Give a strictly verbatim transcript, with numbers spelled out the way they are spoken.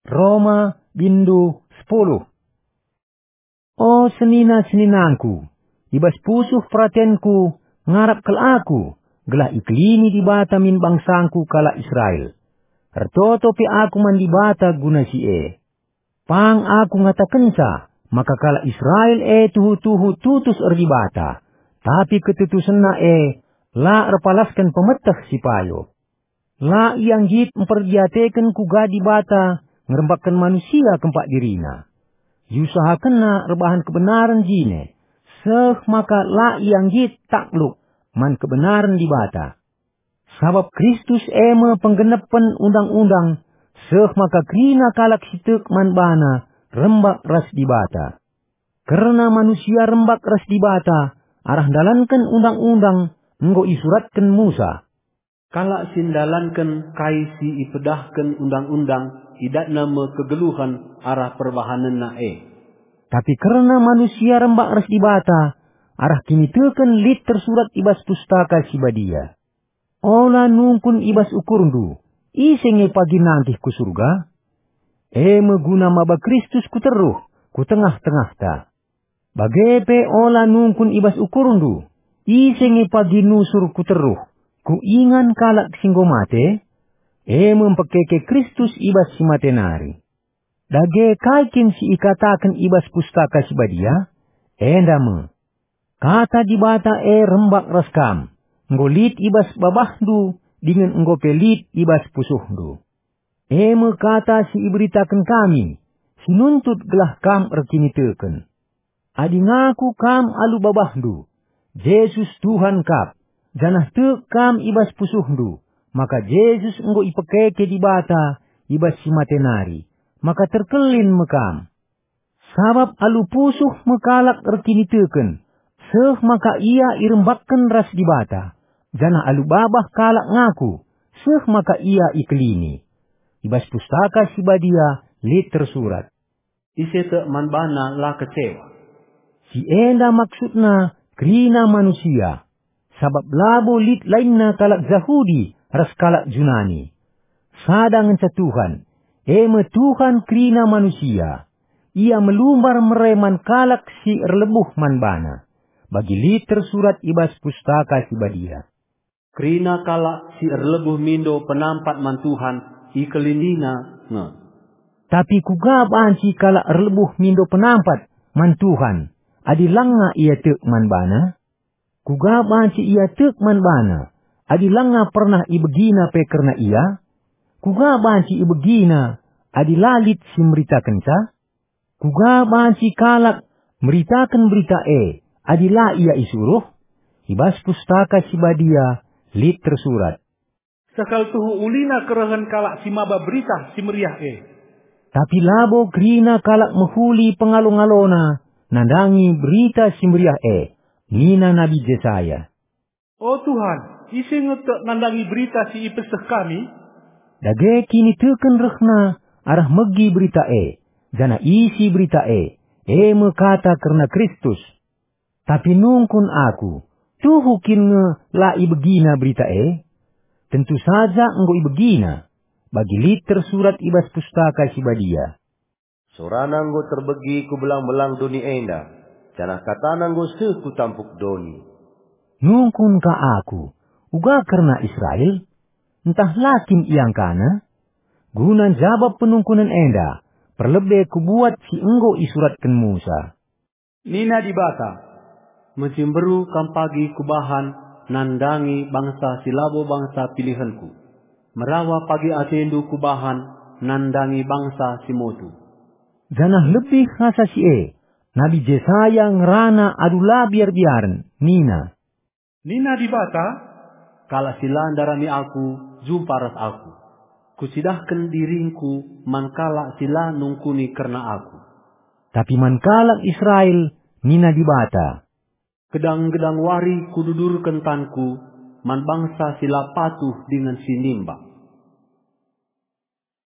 Roma, bindu sepuluh. O senina-seninangku, i bas pusuh peratenku ngarap kal aku, gelah ikelini Dibata min bangsangku kalak Israel. Ertoto pe aku man Dibata guna si e. Pang aku ngatakenca maka kalak Israel e tuhu-tuhu tutus erdibata, tapi ketutusenna e la erpalasken pemeteh si payo. La ia nggit mperdiateken kuga Dibata ngerembakken manusia kempak dirina. Iusahakenna erbahan kebenaren jine, seh maka la ia nggit takluk man kebenaren Dibata. Sabap Kristus e me penggenepen undang-undang, seh maka kerina kalak si tek man bana rembak ras Dibata. Kerna manusia rembak ras Dibata arah ndalanken undang-undang enggo isuratken Musa. Kalak si ndalanken kai si ipedahken undang-undang, idatna me kegeluhen arah perbahanenna e. Tapi kerna manusia rembak ras Dibata, arah kiniteken lit tersurat i bas Pustaka Si Badia. Ola nungkun i bas ukurndu, "Ise nge pagi nangkih ku Surga?" E me guna maba Kristus ku teruh, ku tengah-tengahta. Bage pe ola nungkun i bas ukurndu, "Ise nge pagi nusur ku teruh, ku ingan kalak si enggo mate?" E me mpekeke Kristus i bas si mate nari. Dage kai kin si ikataken i bas Pustaka Si Badia? Enda me, "Kata Dibata e rembak ras kam, enggo lit i bas babahndu dingen enggo pe lit i bas pusuhndu." E me kata si iberitaken kami, si nuntut gelah kam erkiniteken. Adi ngaku kam alu babahndu, "Jesus Tuhan kap," janah tek kam i bas pusuhndu, maka Jesus enggo ipekeke Dibata i bas si mate nari, maka terkelin me kam. Sabap alu pusuh me kalak erkiniteken, seh maka ia irembakken ras Dibata, janah alu babah kalak ngaku, seh maka ia ikelini. I bas Pustaka Si Badia lit tersurat, "Ise tek man bana la kecewa." Si enda maksudna kerina manusia, sabap labo lit lainna kalak Jahudi ras kalak Junani. Sada ngenca Tuhan, e me Tuhan kerina manusia. Ia melumbar mere man kalak si erlebuh man bana, bagi lit tersurat i bas Pustaka Si Badia, "Kerina kalak si erlebuh mindo penampat man Tuhan, ikelinina nge." Tapi kuga banci kalak erlebuh mindo penampat man Tuhan, adi langa ia tek man bana? Kuga banci ia tek man bana, adi langa pernah ibegina pe kerna ia? Kuga banci ibegina, adi la lit si meritakenca? Kuga banci kalak meritaken berita e, adi la ia isuruh? I bas Pustaka Si Badia lit tersurat, "Seh kal tuhu ulina kerehen kalak si maba Berita Si Meriah e." Tapi labo kerina kalak mehuli pengalo-ngalona nandangi Berita Si Meriah e. Nina Nabi Jesaya, "O Tuhan, ise nge tek nandangi berita si ipeseh kami?" Dage kiniteken rehna arah megi berita e, janah isi berita e, e me kata kerna Kristus. Tapi nungkun aku, tuhu kin nge la ibegina berita e? Tentu saja enggo ibegina, bagi lit tersurat i bas Pustaka Si Badia, "Sorana enggo terbegi ku belang-belang doni enda, janah katana enggo seh ku tampuk doni." Nungkun ka aku, uga kerna Israel? Ntah la kin iangkana? Guna njabap penungkunen enda, perlebe kubuat si enggo isuratken Musa. Nina Dibata, "Mejimberu kam pagi kubahan nandangi bangsa si labo bangsa pilihenKu. Merawa pagi atendu kubahan nandangi bangsa si motu." Janah lebih asa si e, Nabi Jesaya ngerana alu la biar-biaren, nina, "Nina Dibata, 'Kalak si la ndarami Aku, jumpa ras Aku. Kucidahken diringKu man kalak si la nungkuni kerna Aku.'" Tapi man kalak Israel nina Dibata, "Gedang-gedang wari Kududurken tanKu man bangsa si la patuh dingen si nimbak."